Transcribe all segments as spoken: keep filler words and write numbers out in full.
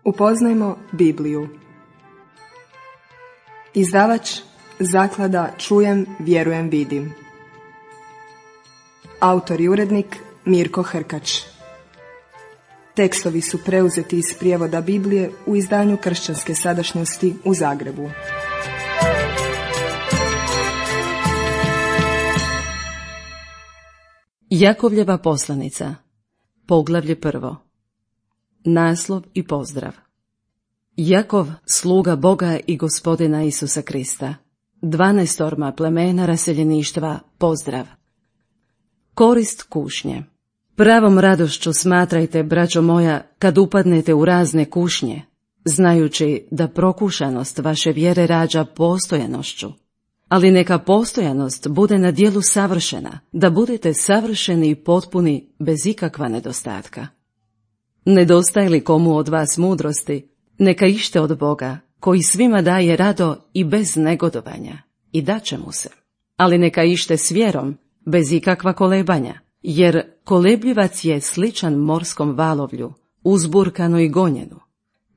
Upoznajmo Bibliju. Izdavač Zaklada Čujem, vjerujem, vidim. Autor i urednik Mirko Hrkač. Tekstovi su preuzeti iz prijevoda Biblije u izdanju Kršćanske sadašnjosti u Zagrebu. Jakovljeva poslanica, poglavlje prvo. Naslov i pozdrav. Jakov, sluga Boga i Gospodina Isusa Krista, dvanaestorma plemena raseljeništva, pozdrav. Korist kušnje. Pravom radošću smatrajte, braćo moja, kad upadnete u razne kušnje, znajući da prokušanost vaše vjere rađa postojanošću. Ali neka postojanost bude na djelu savršena, da budete savršeni i potpuni bez ikakva nedostatka. Nedostaje li komu od vas mudrosti, neka ište od Boga, koji svima daje rado i bez negodovanja, i daće mu se. Ali neka ište s vjerom, bez ikakva kolebanja, jer kolebljivac je sličan morskom valovlju, uzburkanu i gonjenu.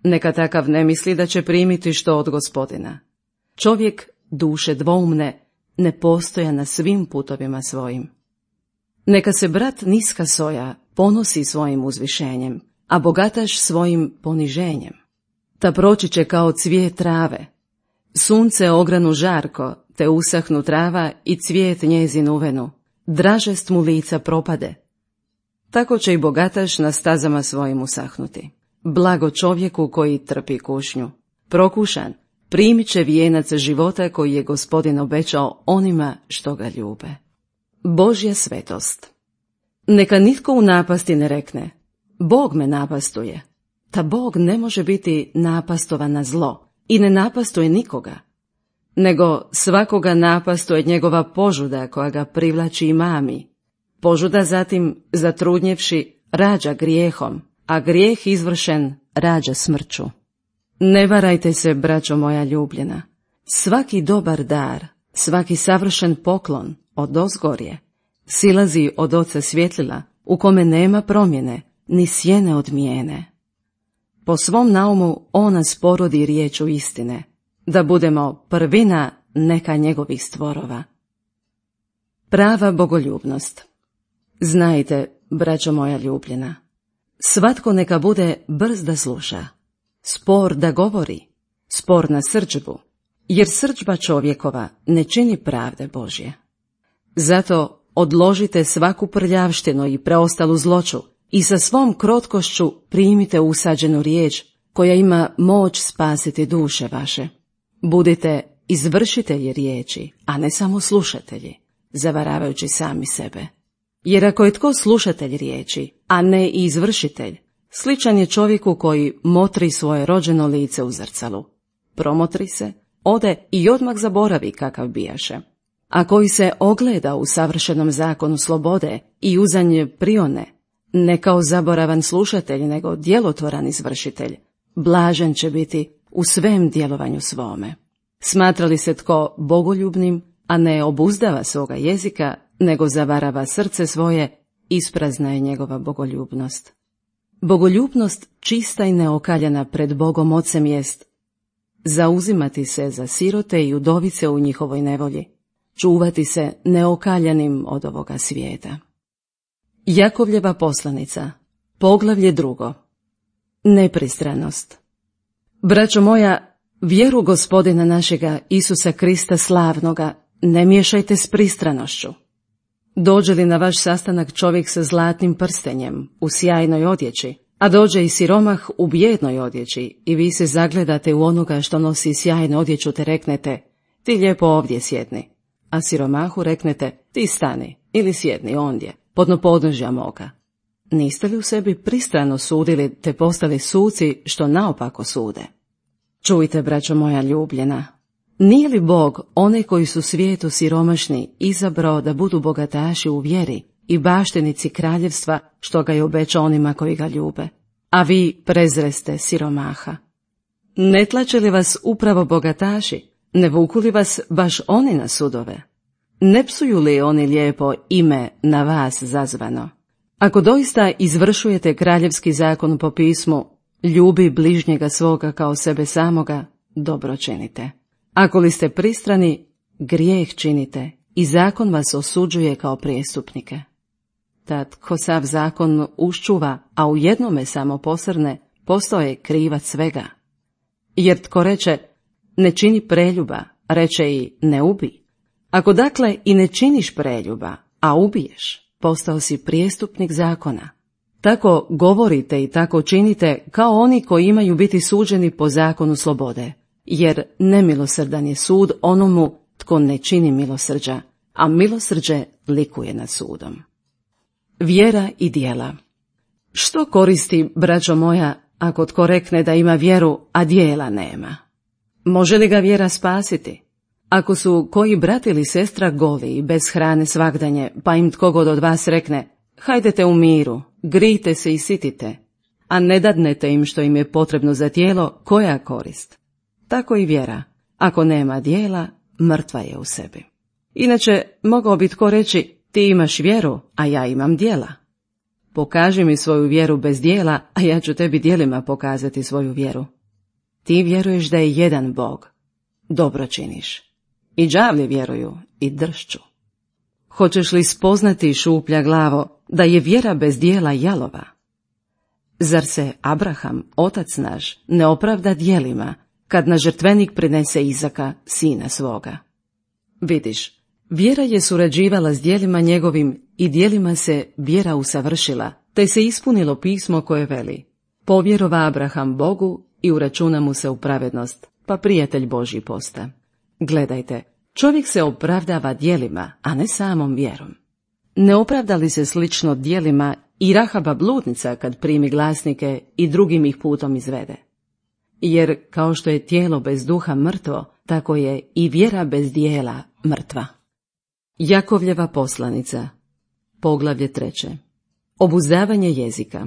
Neka takav ne misli da će primiti što od Gospodina. Čovjek duše dvoumne ne postoja na svim putovima svojim. Neka se brat niska soja ponosi svojim uzvišenjem, a bogataš svojim poniženjem. Ta proći će kao cvijet trave. Sunce ogranu žarko, te usahnu trava i cvijet njezin uvenu. Dražest mu lica propade. Tako će i bogataš na stazama svojim usahnuti. Blago čovjeku koji trpi kušnju. Prokušan, primit će vijenac života koji je Gospodin obećao onima što ga ljube. Božja svetost. Neka nitko u napasti ne rekne, Bog me napastuje. Ta Bog ne može biti napastovan na zlo i ne napastuje nikoga, nego svakoga napastuje njegova požuda koja ga privlači i mami. Požuda zatim, zatrudnjevši, rađa grijehom, a grijeh izvršen rađa smrću. Ne varajte se, braćo moja ljubljena. Svaki dobar dar, svaki savršen poklon odozgorje silazi od Oca svjetlila, u kome nema promjene, ni sjene od mijene. Po svom naumu on nas porodi riječu istine, da budemo prvina neka njegovih stvorova. Prava bogoljubnost. Znajte, braćo moja ljubljena, svatko neka bude brz da sluša, spor da govori, spor na srdžbu, jer srdžba čovjekova ne čini pravde Božje. Zato odložite svaku prljavštinu i preostalu zloću i sa svom krotkošću primite usađenu riječ koja ima moć spasiti duše vaše. Budite izvršitelji riječi, a ne samo slušatelji, zavaravajući sami sebe. Jer ako je tko slušatelj riječi, a ne i izvršitelj, sličan je čovjeku koji motri svoje rođeno lice u zrcalu. Promotri se, ode i odmah zaboravi kakav bijaše. A koji se ogleda u savršenom zakonu slobode i uzanje prione, ne kao zaboravan slušatelj, nego djelotvoran izvršitelj, blažen će biti u svem djelovanju svome. Smatra li se tko bogoljubnim, a ne obuzdava svoga jezika, nego zavarava srce svoje, isprazna je njegova bogoljubnost. Bogoljubnost čista i neokaljena pred Bogom Ocem jest zauzimati se za sirote i udovice u njihovoj nevolji, čuvati se neokaljanim od ovoga svijeta. Jakovljeva poslanica, poglavlje drugo. Nepristranost. Braćo moja, vjeru Gospodina našega Isusa Krista slavnoga ne miješajte s pristranošću. Dođe li na vaš sastanak čovjek sa zlatnim prstenjem u sjajnoj odjeći, a dođe i siromah u bijednoj odjeći i vi se zagledate u onoga što nosi sjajnu odjeću te reknete, ti lijepo ovdje sjedni, a siromahu reknete, ti stani ili sjedni ondje, podno podnožja moga. Niste li u sebi pristrano sudili te postali suci što naopako sude? Čujte, braćo moja ljubljena, nije li Bog one koji su svijetu siromašni izabrao da budu bogataši u vjeri i baštenici kraljevstva što ga je obećao onima koji ga ljube, a vi prezreste siromaha? Ne tlače li vas upravo bogataši, ne vuku li vas baš oni na sudove? Ne psuju li oni lijepo ime na vas zazvano? Ako doista izvršujete kraljevski zakon po pismu, Ljubi bližnjega svoga kao sebe samoga, dobro činite. Ako li ste pristrani, grijeh činite i zakon vas osuđuje kao prijestupnike. Tad ko sav zakon uščuva, a u jednome samo posrne, postao je krivac svega. Jer tko reče, ne čini preljuba, reče i ne ubij. Ako dakle i ne činiš preljuba, a ubiješ, postao si prijestupnik zakona. Tako govorite i tako činite kao oni koji imaju biti suđeni po zakonu slobode, jer nemilosrdan je sud onomu tko ne čini milosrđa, a milosrđe likuje nad sudom. Vjera i djela. Što koristi, braćo moja, ako tko rekne da ima vjeru, a djela nema? Može li ga vjera spasiti? Ako su koji brat ili sestra goli i bez hrane svagdanje, pa im tko god od vas rekne, hajdete u miru, grijte se i sitite, a ne dadnete im što im je potrebno za tijelo, koja korist? Tako i vjera, ako nema djela, mrtva je u sebi. Inače, mogao bi tko reći, ti imaš vjeru, a ja imam djela. Pokaži mi svoju vjeru bez djela, a ja ću tebi djelima pokazati svoju vjeru. Ti vjeruješ da je jedan Bog. Dobro činiš. I đavli vjeruju i dršću. Hoćeš li spoznati, šuplja glavo, da je vjera bez djela jalova? Zar se Abraham, otac naš, ne opravda djelima, kad na žrtvenik prinese Izaka, sina svoga? Vidiš, vjera je surađivala s djelima njegovim i djelima se vjera usavršila, te se ispunilo pismo koje veli: povjerova Abraham Bogu i uračuna mu se u pravednost, pa prijatelj Božji posta. Gledajte, čovjek se opravdava djelima, a ne samom vjerom. Ne opravda li se slično djelima i Rahaba bludnica kad primi glasnike i drugim ih putom izvede? Jer kao što je tijelo bez duha mrtvo, tako je i vjera bez djela mrtva. Jakovljeva poslanica, poglavlje treće. Obuzdavanje jezika.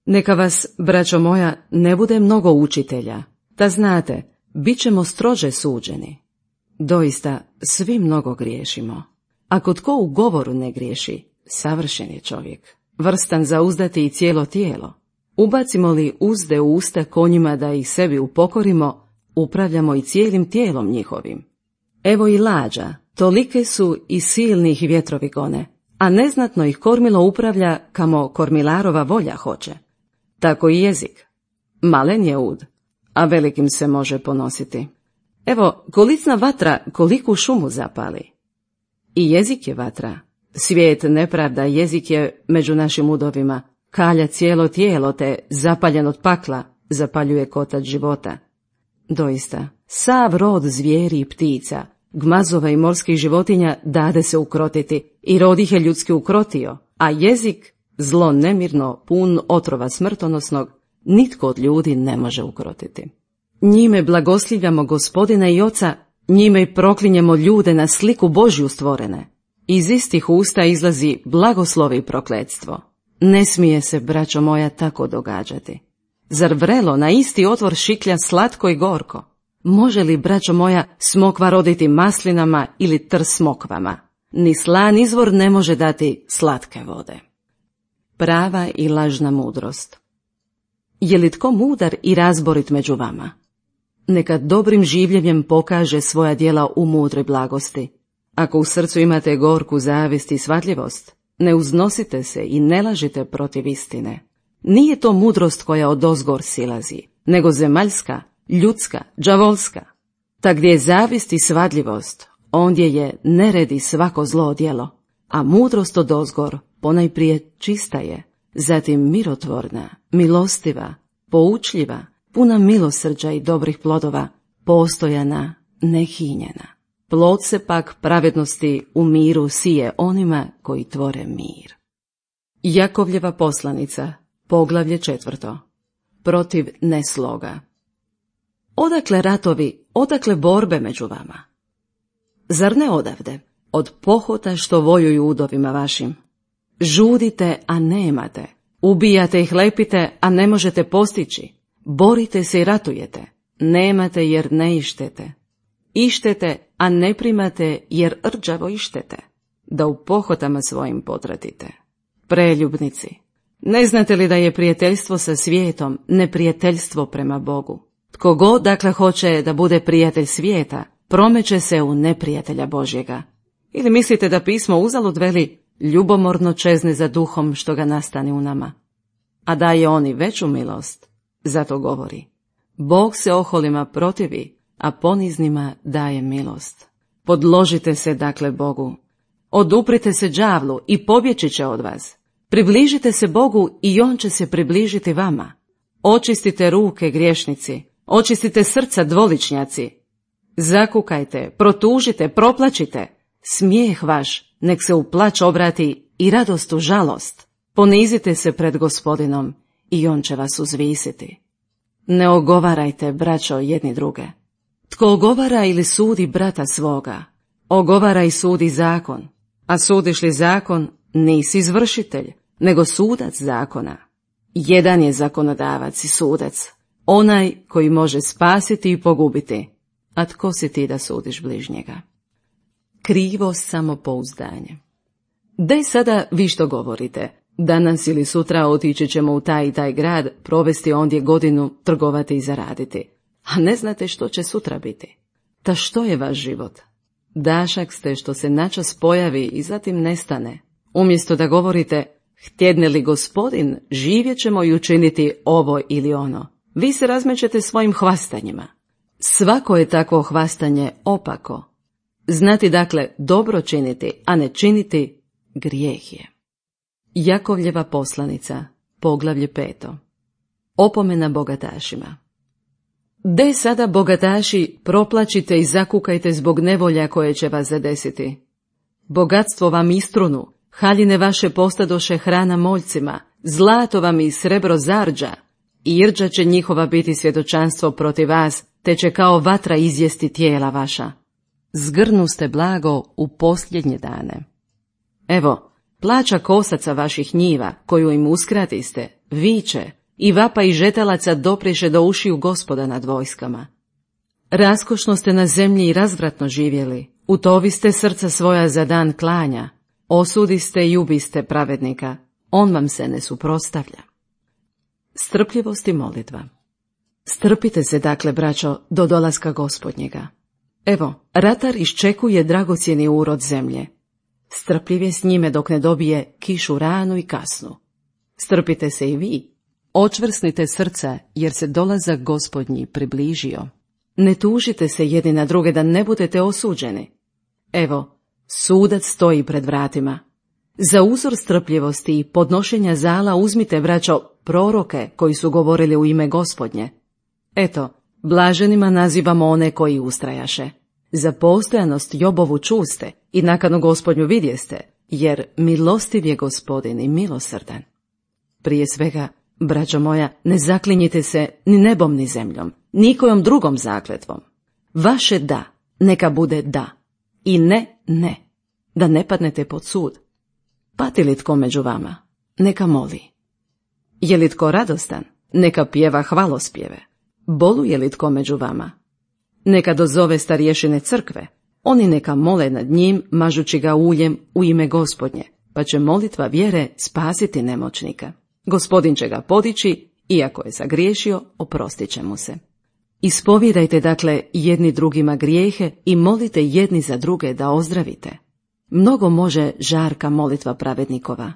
Neka vas, braćo moja, ne bude mnogo učitelja, da znate, bit ćemo strože suđeni. Doista, svi mnogo griješimo. Ako tko u govoru ne griješi, savršen je čovjek, vrstan za uzdati i cijelo tijelo. Ubacimo li uzde u usta konjima da ih sebi upokorimo, upravljamo i cijelim tijelom njihovim. Evo i lađa, tolike su i silnih vjetrovi gone, a neznatno ih kormilo upravlja kamo kormilarova volja hoće. Tako i jezik. Malen je ud, a velikim se može ponositi. Evo, kolicna vatra koliku šumu zapali. I jezik je vatra. Svijet nepravda, jezik je među našim udovima, kalja cijelo tijelo te, zapaljen od pakla, zapaljuje kotač života. Doista, sav rod zvijeri i ptica, gmazova i morskih životinja dade se ukrotiti, i rod ih je ljudski ukrotio, a jezik, zlo nemirno, pun otrova smrtonosnog, nitko od ljudi ne može ukrotiti. Njime blagoslivljamo Gospodina i Oca, njime i proklinjemo ljude na sliku Božju stvorene. Iz istih usta izlazi blagoslov i prokletstvo. Ne smije se, braćo moja, tako događati. Zar vrelo na isti otvor šiklja slatko i gorko? Može li, braćo moja, smokva roditi maslinama ili trs smokvama? Ni slan izvor ne može dati slatke vode. Prava i lažna mudrost. Je li tko mudar i razborit među vama? Neka dobrim življenjem pokaže svoja djela u mudroj blagosti. Ako u srcu imate gorku zavist i svatljivost, ne uznosite se i ne lažite protiv istine. Nije to mudrost koja odozgor silazi, nego zemaljska, ljudska, đavolska. Ta gdje je zavist i svadljivost, ondje je nered i svako zlo djelo, a mudrost odozgor ponajprije čista je, zatim mirotvorna, milostiva, poučljiva, puna milosrđa i dobrih plodova, postojana, nehinjena. Plod se pak pravednosti u miru sije onima koji tvore mir. Jakovljeva poslanica, poglavlje četvrto. Protiv nesloga. Odakle ratovi, odakle borbe među vama? Zar ne odavde, od pohota što vojuju udovima vašim? Žudite, a nemate, ubijate i lepite, a ne možete postići. Borite se i ratujete, nemate jer ne ištete. Ištete, a ne primate jer rđavo ištete, da u pohotama svojim potratite. Preljubnici, Ne znate li da je prijateljstvo sa svijetom neprijateljstvo prema Bogu? Tko god dakle hoće da bude prijatelj svijeta, promeće se u neprijatelja Božjega. Ili mislite da pismo uzalud veli, ljubomorno čezne za duhom što ga nastane u nama? A daje oni veću milost, zato govori, Bog se oholima protivi, a poniznima daje milost. Podložite se dakle Bogu, oduprite se đavlu i pobjeći će od vas. Približite se Bogu i on će se približiti vama. Očistite ruke griješnici, očistite srca dvoličnjaci. Zakukajte, protužite, proplačite, smijeh vaš nek se u plać obrati i radost u žalost. Ponizite se pred Gospodinom i on će vas uzvisiti. Ne ogovarajte, braćo, jedni druge. Tko ogovara ili sudi brata svoga, ogovara i sudi zakon, a sudiš li zakon, nisi izvršitelj, nego sudac zakona. Jedan je zakonodavac i sudac, onaj koji može spasiti i pogubiti. A tko si ti da sudiš bližnjega? Krivo samopouzdanje. Dej sada vi što govorite, danas ili sutra otići ćemo u taj i taj grad, provesti ondje godinu, trgovati i zaraditi. A ne znate što će sutra biti. Ta što je vaš život? Dašak ste što se načas pojavi i zatim nestane. Umjesto da govorite, htjedne li Gospodin, živjet ćemo i učiniti ovo ili ono. Vi se razmećete svojim hvastanjima. Svako je takvo hvastanje opako. Znati dakle dobro činiti, a ne činiti, grijeh je. Jakovljeva poslanica, poglavlje peto. Opomena bogatašima. De sada, bogataši, proplačite i zakukajte zbog nevolja koje će vas zadesiti. Bogatstvo vam istrunu, haljine vaše postadoše hrana moljcima, zlato vam i srebro zarđa, i irđa će njihova biti svjedočanstvo protiv vas, te će kao vatra izjesti tijela vaša. Zgrnu ste blago u posljednje dane. Evo, plaća kosaca vaših njiva, koju im uskratiste, viče, i vapa i žetalaca dopriše do ušiju Gospoda nad vojskama. Raskošno ste na zemlji i razvratno živjeli, utoviste srca svoja za dan klanja, osudiste i ubiste pravednika, on vam se ne suprotstavlja. Strpljivost i molitva. Strpite se dakle, braćo, do dolaska Gospodnjega. Evo, ratar iščekuje dragocjeni urod zemlje. Strpljiv je s njime dok ne dobije kišu ranu i kasnu. Strpite se i vi. Očvrsnite srca, jer se dolazak Gospodnji približio. Ne tužite se jedni na druge da ne budete osuđeni. Evo, sudac stoji pred vratima. Za uzor strpljivosti i podnošenja zala uzmite, braćo, proroke koji su govorili u ime Gospodnje. Eto, blaženima nazivamo one koji ustrajaše. Za postojanost Jobovu čuste i nakanu Gospodnju vidjeste, jer milostiv je Gospodin i milosrdan. Prije svega, braćo moja, ne zaklinjite se ni nebom ni zemljom, nikojom drugom zakletvom. Vaše da, neka bude da, i ne, ne, da ne padnete pod sud. Pati li tko među vama, neka moli. Je li tko radostan, neka pjeva hvalospjeve. Boluje li tko među vama, neka dozove starješine crkve, oni neka mole nad njim, mažući ga uljem u ime Gospodnje, pa će molitva vjere spasiti nemoćnika. Gospodin će ga podići, iako je sagriješio, oprostit će mu se. Ispovijedajte dakle jedni drugima grijehe i molite jedni za druge da ozdravite. Mnogo može žarka molitva pravednikova.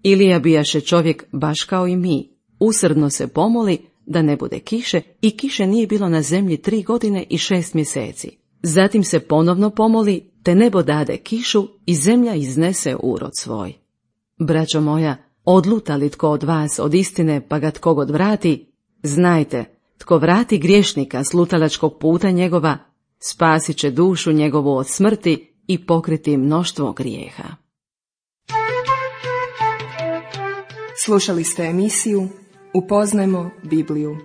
Ilija bijaše čovjek baš kao i mi, usrdno se pomoli da ne bude kiše, i kiše nije bilo na zemlji tri godine i šest mjeseci. Zatim se ponovno pomoli, te nebo dade kišu i zemlja iznese urod svoj. Braćo moja, odluta li tko od vas od istine pa ga tko god vrati, znajte, tko vrati griješnika s lutalačkog puta njegova, spasit će dušu njegovu od smrti i pokriti mnoštvo grijeha. Slušali ste emisiju Upoznajmo Bibliju.